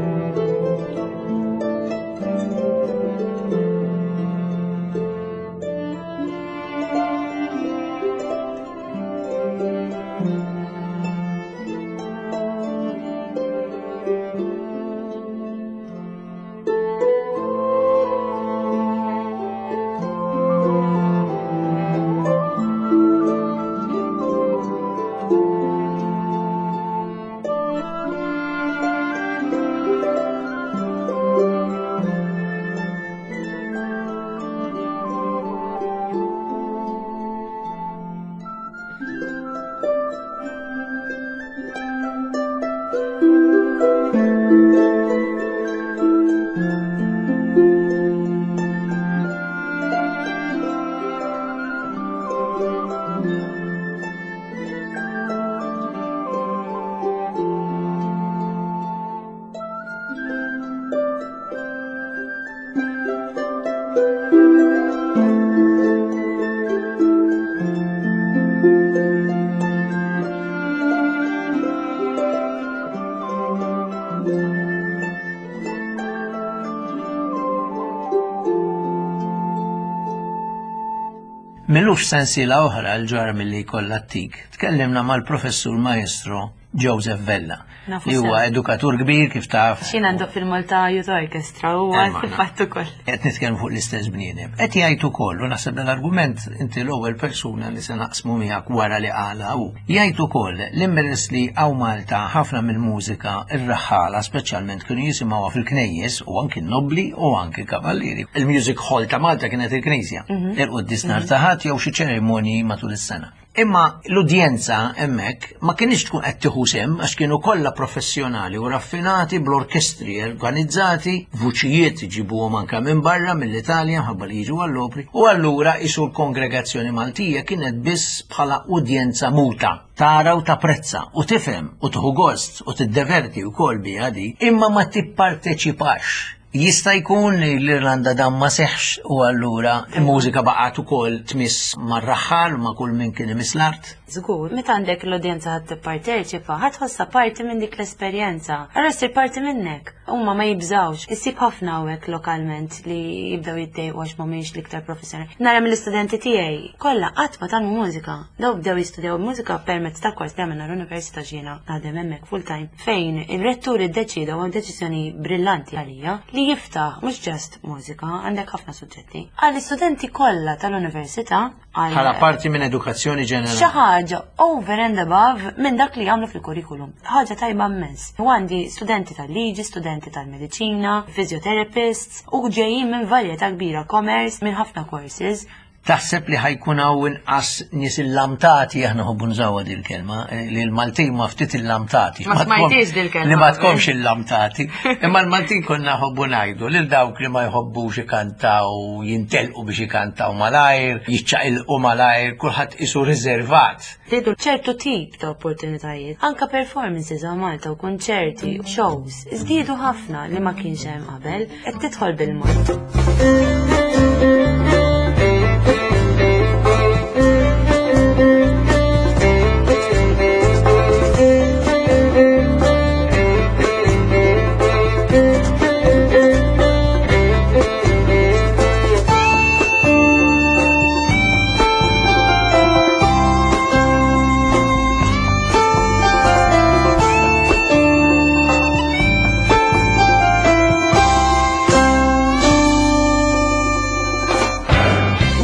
M'ilux sensiela oħra l-ġar milli kollha tik. Tkellimna mal-professur maestro Joseph Vella, Nafu li huwa sew. edukatur kbir kif taf. X'jien għandu fil-Malta Youth Orchestra huwa Eh, ma- fil-fatt ukoll. Qed nitkellmu fuq l-istess bniedem. Qed jgħid ukoll, u naħseb l-argument inti l-ewwel persuna li se naqsmu miegħek wara li qala hu. Jgħid ukoll li mmeres li hawn Malta ħafna mill-mużika ir-raħħala speċjalment kienu jisimgħuha fil-knejjes u anki n-nobli u anki kavallieri. Il-music hall ta' Malta kienet il-knisja. Il-quddies nhar ta' Ħadd jew xi ċerimonji matul is-sena. Imma l-udjenza hemmhekk ma kienx tkun qed tieħu sehem għax kienu kollha professjonali u raffinati bl-orkestri organizzati, vuċijiet iġibuhom anke minn barra mill-Italja mħabba li jiġu għall-opri, u allura isu l-kongregazzjoni Maltija kienet biss bħala udjenza muta tara u tapprezza u tifhem u tieħu gost u tiddeverti wkoll biha di, imma ma tipparteċipax. Jista' jkun li l-Irlanda dan ma seħx u allura il-mużika baqgħet ukoll tmiss mar-raħħal u ma' kull min kien imiss l-art. Żgur, meta għandek l-udjenza ħadd tipparteċipa, ħadd tħossha parti minn dik l-esperjenza. Allura ssir parti minnek. Huma ma jibżawx. Issib ħafna hawnhekk lokalment li jibdew jiddejqu għax mhumiex l-iktar professjonali. Nara mill-istudenti tiegħi kollha qatt ma tgħallmu mużika. Daw bdew jistudjaw mużika permezz ta' kors li għamilna l-Università ġiena naħdem hemmhekk full time fejn il-rettur iddeċida u deċiżjoni brillanti għalija li jiftaħ mhux just mużika, għandek ħafna suġġetti. Għall-istudenti kollha tal-università għal Bħala parti minn edukazzjoni xi ġenerali. ħaġa over and above minn dak li jagħmlu fil-kurrikulum. Ħaġa tajba immens. U għandi studenti tal-liġi, studenti tal-mediċina, physiotherapists u ġejjin minn varjetà kbira commerce, minn ħafna courses. Taħseb li ħa jkun hawn inqas nies illamtati, aħna nħobbu nużawha din il-kelma, eh, li l-Maltin ma ftit illamtati. Ma tkom- smajtix dil-kelma Li ma qabel. tkomx illamtati. Imma l-Maltin konna nħobbu ngħidu lil dawk li ma jħobbux ikantaw, jintelqu biex ikantaw malajr, jiċċaqilqu malajr, kulħadd isu riservat. Żdiedu ċertu tip ta' opportunitajiet. Anka performances għal Malta u konċerti, shows, żdiedu ħafna li ma kienx hemm qabel, qed tidħol bil-mod.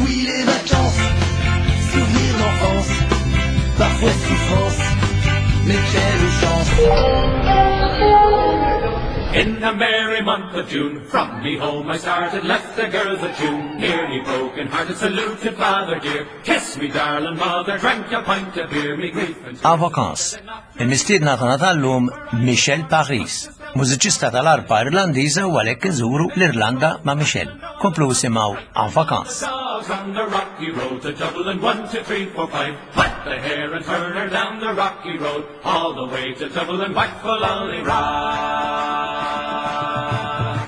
Oui, les vacances, souvenirs d'enfance, parfois souffrance, mais quelle chance. In the merry month of June, from me home I started, left the girls a tune. Nearly broken hearted, saluted father dear. Kiss me, darling mother, drank a pint of beer, me grief and En vacances. Il-mistiedna tagħna tal-lum Michelle Paris, mużiċista tal-arpa Irlandiża u għalhekk inżuru l-Irlanda ma' Michelle. Komplu isimgħu En vacances. Dogs on the rocky road to Dublin, one, two, three, four, five. Put the hare and turn her down the rocky road, all the way to Dublin, whack for lolly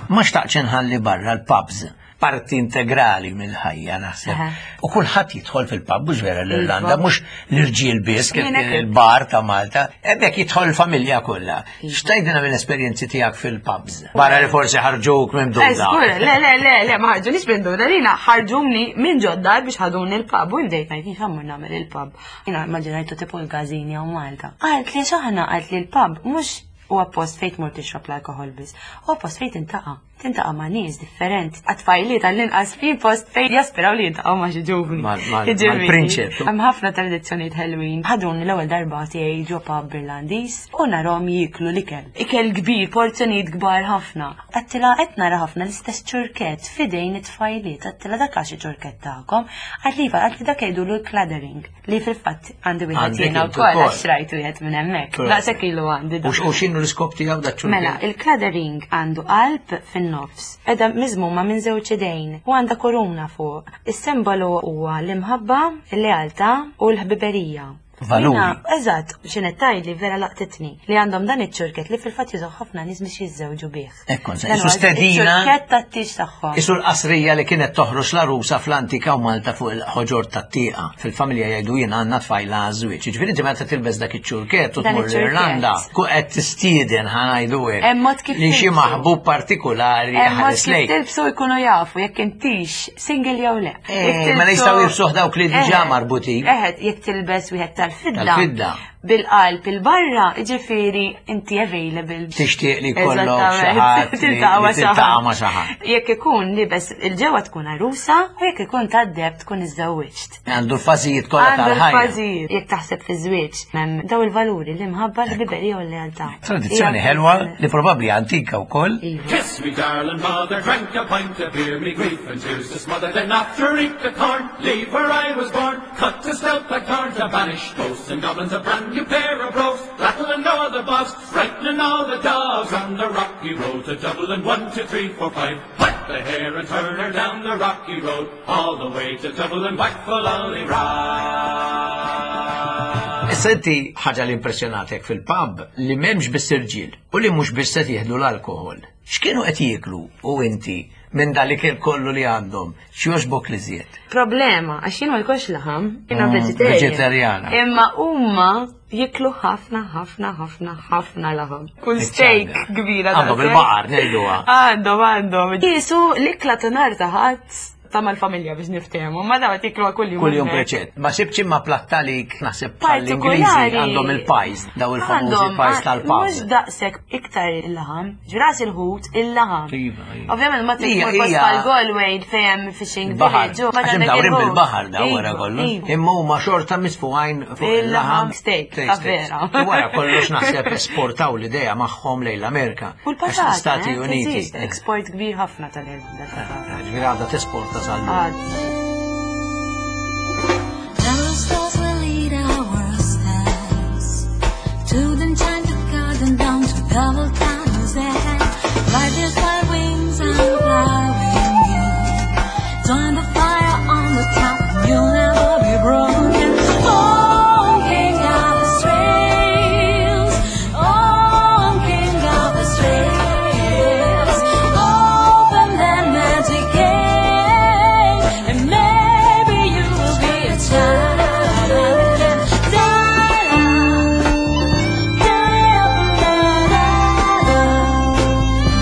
Ma xtaqx nħalli barra l-pubs, parti integrali mill-ħajja naħseb. Aha. U kulħadd jidħol fil-pub, mhux vera l-Irlanda, Iva. mhux l-irġiel biss kif Jien hekk. il-bar ta' Malta, hemmhekk jidħol il-familja kollha. X'tgħidilna mill-esperjenzi tiegħek fil-pubs? Barra li forsi ħarġuk minn Eh, duda. żgur, le, le, le, le, ma ħarġunix minn duda, lina ħarġuni minn ġod-dar biex ħaduni l-pub u bdejt ngħid jien x'ammur nagħmel il-pub. Jiena immaġinajtu tipo l-każini hawn Malta. Qalt li x'aħna qalt li l-pub mhux huwa post fejn tmur tixrob l-alkoħol biss, huwa post fejn tintaqa'. Tintaqa' ma' nies differenti. Għat-tfajliet għall-inqas fi post fejn jaspiraw li jintaqgħu ma' xi ġuvni. Mal- mal- Jiġifieri, mal-prinċep. Hemm ħafna tradizzjonijiet ħelwin. Ħaduni l-ewwel darba tiegħi ġo pub Irlandiż u narahom jieklu l-ikel. Ikel kbir, porzjonijiet kbar ħafna. Għedtilha qed nara ħafna l-istess ċurkett f'idejn it-tfajliet. Għedtilha dak għax ċurkett tagħkom. Għad li għad li dak jgħidulu l-claddering li fil-fatt għandi wieħed Għandek jiena inti wkoll wkoll. għax rajtu wieħed minn hemmhekk. Proset. Daqshekk ilu għandi dak. U x- u x'inhu l-iskop tiegħu da ċurkett? Mela, il-claddering għandu qalb fin-nofs. Edha miżmuma minn żewġ idejn u għandha koruna fuq. Is-simbolu huwa l-imħabba, il-lealtà u l-ħbiberija. Valuri. Jiena, Eżatt, x'inhu tgħidli vera laqtitni li għandhom dan iċ-ċurket li fil-fatt jużaw ħafna nies biex jiżżewġu bih. Ekku, Dan isu huwa stedina. Iċ-ċurket tat-tieġ tagħhom. Isu l-qasrija li kienet toħroġ l-arusa fl-antika u Malta fuq il-ħoġor tat-tieqa. Fil-familja jgħidu jien għandna tfajla għaż-żwieġ. Ġifieri inti meta tilbes dak iċ-ċurket u Dan tmur iċ-ċurket. l-Irlanda, ku qed tistieden ħa ngħidu hekk. Hemm mod kif Li xi tilbsu. maħbub partikolari Hemm mod ħares kif lejk. tilbsu jkunu jafu jekk intix single jew le. Eh, Jekk mela tilbsu- jistgħu jilbsuh dawk li diġà Eħe, marbutin. Eħe, jekk tilbes wieħed tal-fidda. Tal-fidda. Bil-qalb il-barra, ġifieri inti available. Tixtieq li jkollok xi Eżattament. ħadd li- Tiltaqa' ma' li xi tiltaqa' ħadd. ma' xi ħadd. Jekk ikun libes il-ġewwa tkun arusa u jekk ikun tad-deheb tkun iżżewwiġt. Għandu l-fażijiet kollha Għandu tal-ħajja. l-fażijiet. Jekk taħseb fi żwieġ, hemm daw il-valuri l-imħabba, l-ħbiberija u l-lealtà. Tradizzjoni Hija- ħelwa li probabbli antika wkoll. Iva. Kiss me, darling mother, drank a pint of beer, me grief and tears to smother. Then after eat the corn, leave where I was born, cut to stout blackthorn to banish ghosts and goblins, a brand new pair of brogues, rattling o'er the bogs, frightening all the dogs on the rocky road to Dublin. One, two, three, four, five. Whack the hare and turn her down the rocky road, all the way to Dublin, whack for lolly Issa inti ħaġa li impressjonatek fil-pub li m'hemmx biss irġiel u li mhux biss qed jieħdu l-alkoħol. X'kienu qed jieklu u inti minn dal-ikel kollu li għandhom, x'jogħġbok li żjed? Problema, għax jien ma jkollx laħam, jiena Mm, vegetarian. vegetariana. Imma huma jiklu ħafna, ħafna, ħafna, ħafna laħam. Kull steak kbira. Għandhom daqshekk. il-baqar, ngħiduha. Għandhom, għandhom. Jisu l-ikla ta' nhar ta' Ħadd ta' mal-familja biex niftehmu, ma daw jiklu kull jum. Kull jum hemmhekk. preċett. Ma sibx imma plattalik naħseb bħall-Ingliżi Partikolari. għandhom il-pies, daw il-famużi Għandhom, pies ah, tal-pub. Mhux daqshekk iktar il-laħam, ġras il-ħut, il-laħam. Iva, iva. Ovvjament ma Ija, tmur post ija. bħal Galway fejn hemm fishing Baħar. village. u ma Għax għandek imdawrin il-ħut. bil-baħar daw wara Iva, kollox. iva. Imma huma xorta misfuqajn fuq il-laħam. Il-laħam, steak, Steak, ta' steak. vera. U wara kollox naħseb esportaw l-idea magħhom lejn l-Amerika. U Għax l-patata, l-Stati eh, Uniti. tinsiex, Export kbir ħafna tal-Irlanda. Ġifieri għadha tesporta sal-lum. Għad. The stars will lead our steps to the enchanted garden down to double town's end. Ride these white wings and fly with me. Join the fire on the top, you'll never be broken. Oh, King of the Strails, oh, King of the Strails, open that magic gate, and maybe you will be a child again. Da da da da da da da da da.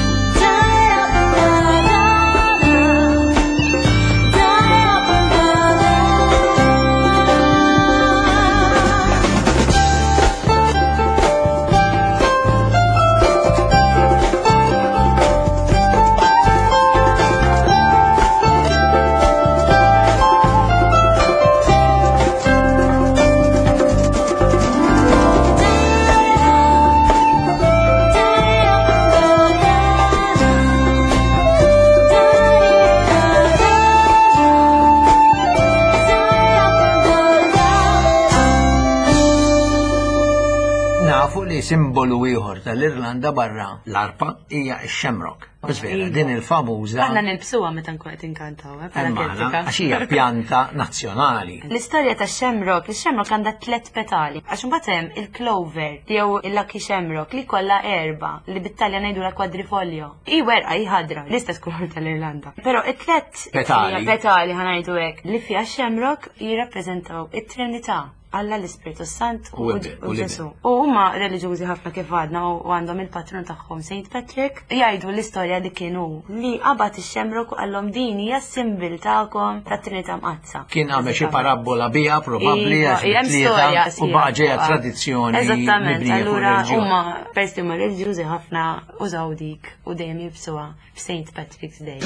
Nafu li simbolu ieħor tal-Irlanda barra l-arpa hija x-shamrock. Biss vera, din il-famuża Aħna nilbsuha meta nkun qed inkantaw, eh, bħala Emmana, Keltika. għax hija pjanta nazzjonali. L-istorja ta' shamrock, il-shamrock għandha tlet petali. Għax imbagħad hemm il-clover jew il-lucky shamrock li kollha erba li bit-Taljan ngħidu la quadrifoglio. I werqa hi ħadra, l-istess kulur tal-Irlanda. Però it-tlet Petali. petali ħa ngħidu hekk li fiha shamrock jirrappreżentaw it-Trinità. Alla l-Ispirtu Sant U u l-Iben, u u l-Iben. Ġesu. U huma reliġjużi ħafna kif għadna u u għandhom il-patrun tagħhom Saint Patrick. Jgħidu l-istorja li kienu li qabad ix-shamrock u qallhom din hija s-simbol tagħkom tat-Trinità Mqaddsa. Kien għamel xi parabbola biha probabbli Iva, għax hemm tlieta storja u sħiħa baqa' ġejja fuqha. tradizzjoni. Eżattament, mibnija fuq allura ir-reliġjon. huma persi huma reliġjużi ħafna użaw dik u dejjem jilbsuha f'Saint Patrick's Day.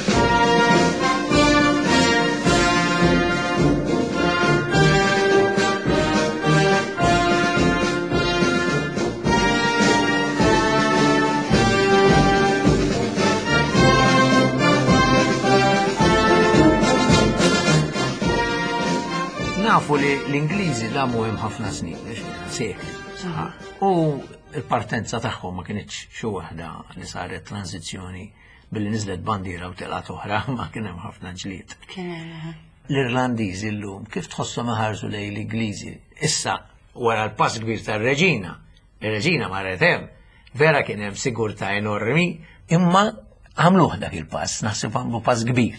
Nafu li l-Ingliżi damu hemm ħafna snin, sekli. U il-partenza tagħhom ma kinitx xi waħda li saret tranzizzjoni billi niżlet bandiera u telgħet oħra, ma kien hemm ħafna ġlied. Kien hemm, L-Irlandiżi llum kif tħosshom iħarsu lejn l-Ingliżi? Issa Wara l-pass kbir tar-reġina. Ir-reġina marret hemm. Vera kien hemm sigurtà enormi, imma għamluh dak il-pass, naħseb għamlu pass kbir.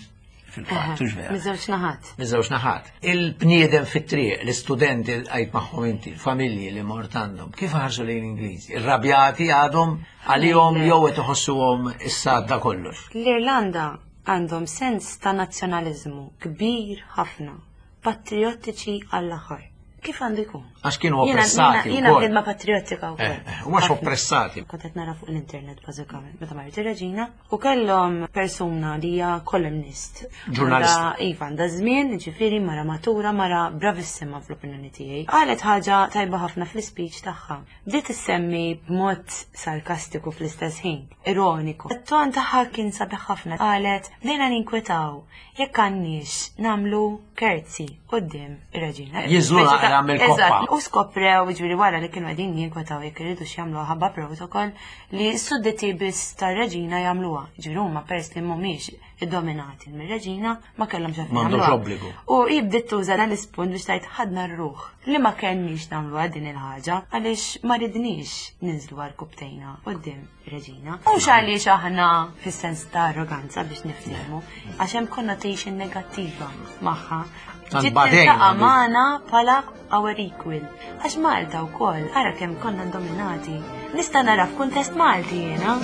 Fil-fatt, hux vera. Miż-żewġ naħat. Miż-żewġ naħat. Il-bniedem fit-triq, l-istudenti li għajt magħhom inti, il-familji li mort għandhom, kif ħarsu lejn Ingliżi? Irrabjati għadhom għalihom jew qed iħossuhom issa għadda kollox. L-Irlanda għandhom sens ta' nazzjonaliżmu kbir ħafna, patriottiċi għall-aħħar. Kif għandu jkun? Għax kienu Jiena- oppressati Jiena jiena wkoll. bniedma patriottika wkoll. Eh, eh, u mhux Ħafna. oppressati. Kont qed nara fuq l-internet bażikament meta marret ir-reġina u kellhom persuna li hija columnist. Ġurnalista. Għandha- Iva, għandha żmien, ġifieri mara matura, mara bravissima fl-opinjoni tiegħi. Qalet ħaġa tajba ħafna fl-ispeech tagħha. Bdiet issemmi b'mod sarkastiku fl-istess ħin, ironiku. It-ton tagħha kien sabiħ ħafna. Qalet bdejna ninkwetaw jekk għandniex nagħmlu curtsy quddiem ir-reġina. Jinżlu Speċi ta' naqra mill-koppa. Eżatt, U skoprew, ġifieri wara li kienu qegħdin jinkwetaw jekk iridu jagħmluha ħabba protocol li s-sudditi biss tar-reġina jagħmluha. Ġifieri huma peress li mhumiex iddominati mir-reġina ma kellhomx għalfejn M'għandhomx jagħmluha. obbligu. U hi bdiet tuża dan l-ispunt biex tgħid ħadna r-ruħ li ma kellniex nagħmluha din il-ħaġa għaliex ma ridniex ninżlu għal quddiem ir-reġina. Mhux għaliex aħna fis-sens ta' arroganza biex niftehmu, għax hemm connotation negattiva magħha. Tant Ġiet badejn tiltaqa' għandu. magħna bħala our equal. Għax Malta wkoll, ara kemm konna dominati. Nista' nara f'kuntest Malti jiena.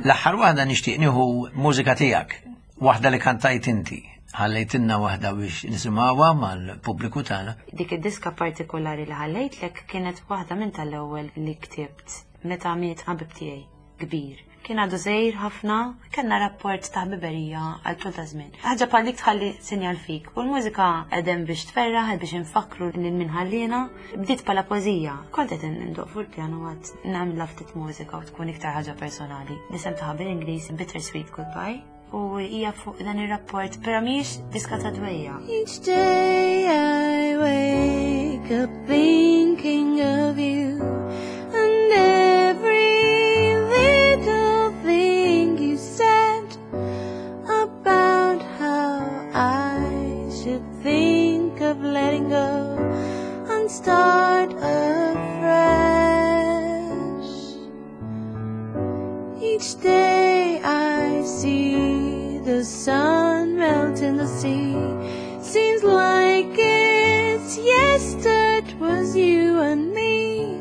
L-aħħar waħda nixtieq nieħu mużika tiegħek, waħda li kantajt inti. Ħallejtilna waħda biex nisimgħuha mal-pubbliku tagħna. Dik id-diska partikolari li ħallejtlek kienet waħda minn tal-ewwel li ktibt meta miet ħabib tiegħi kbir. Kien għadu żgħir ħafna, kellna rapport ta' ħbiberija għal tul ta' żmien. Ħaġa bħal dik tħalli sinjal fik. U l-mużika qegħdem biex tferraħ, biex nfakru lil min ħallina. Bdiet bħala poeżija. Kont qed indoq fuq il-pjano għad nagħmilha ftit mużika u tkun iktar ħaġa personali. L-isem tagħha bil-Ingliż Bittersweet Goodbye. U hija fuq dan ir-rapport, però mhijiex diska ta' dwejjaq. Each day I wake up thinking of you and every little thing you said about how I should think of letting go and start afresh. Each day I see the sun melt in the sea. Seems like it's yesterday it was you and me.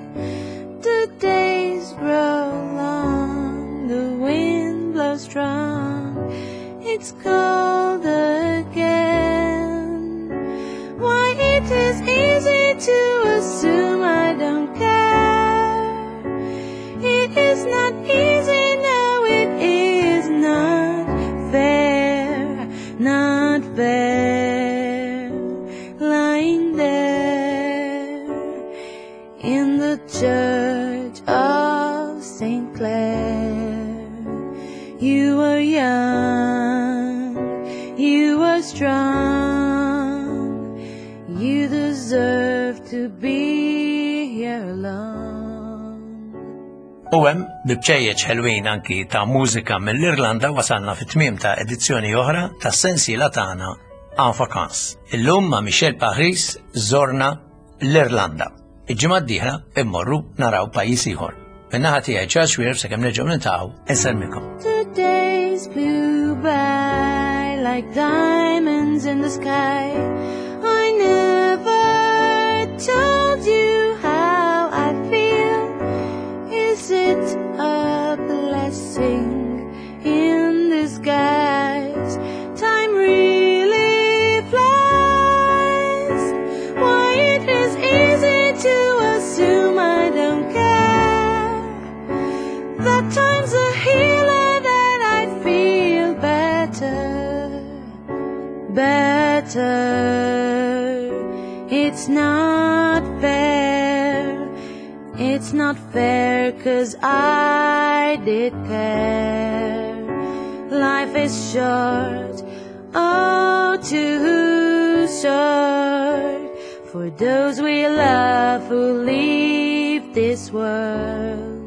The days grow long, the wind blows strong. It's cold again. Why it is easy to assume I don't care. It is not easy, no, it is not fair, not fair. Lying there in the church of Saint Clair. You were young, you were strong, you deserve to be here alone. U hemm bi bċejjeċ ħelwin anki ta' mużika mill-Irlanda wasalna fit-tmiem ta' edizzjoni oħra ta' sensiela tagħna En Vacances. Illum ma' Michelle Paris żorna l-Irlanda. Il-ġimgħa d-dieħla immorru naraw pajjiż ieħor. Min-naħa tiegħi Charles Xuereb sakemm nerġgħu niltaqgħu insellmikom. The days flew by like diamonds in the sky. I never told you how I feel. Is it a blessing in disguise? Time really flies. Why it is easy to assume I don't care. That time's a healer, that I'd feel better, better. It's not fair, it's not fair, 'cause I did care. Life is short, oh, too short, for those we love who leave this world.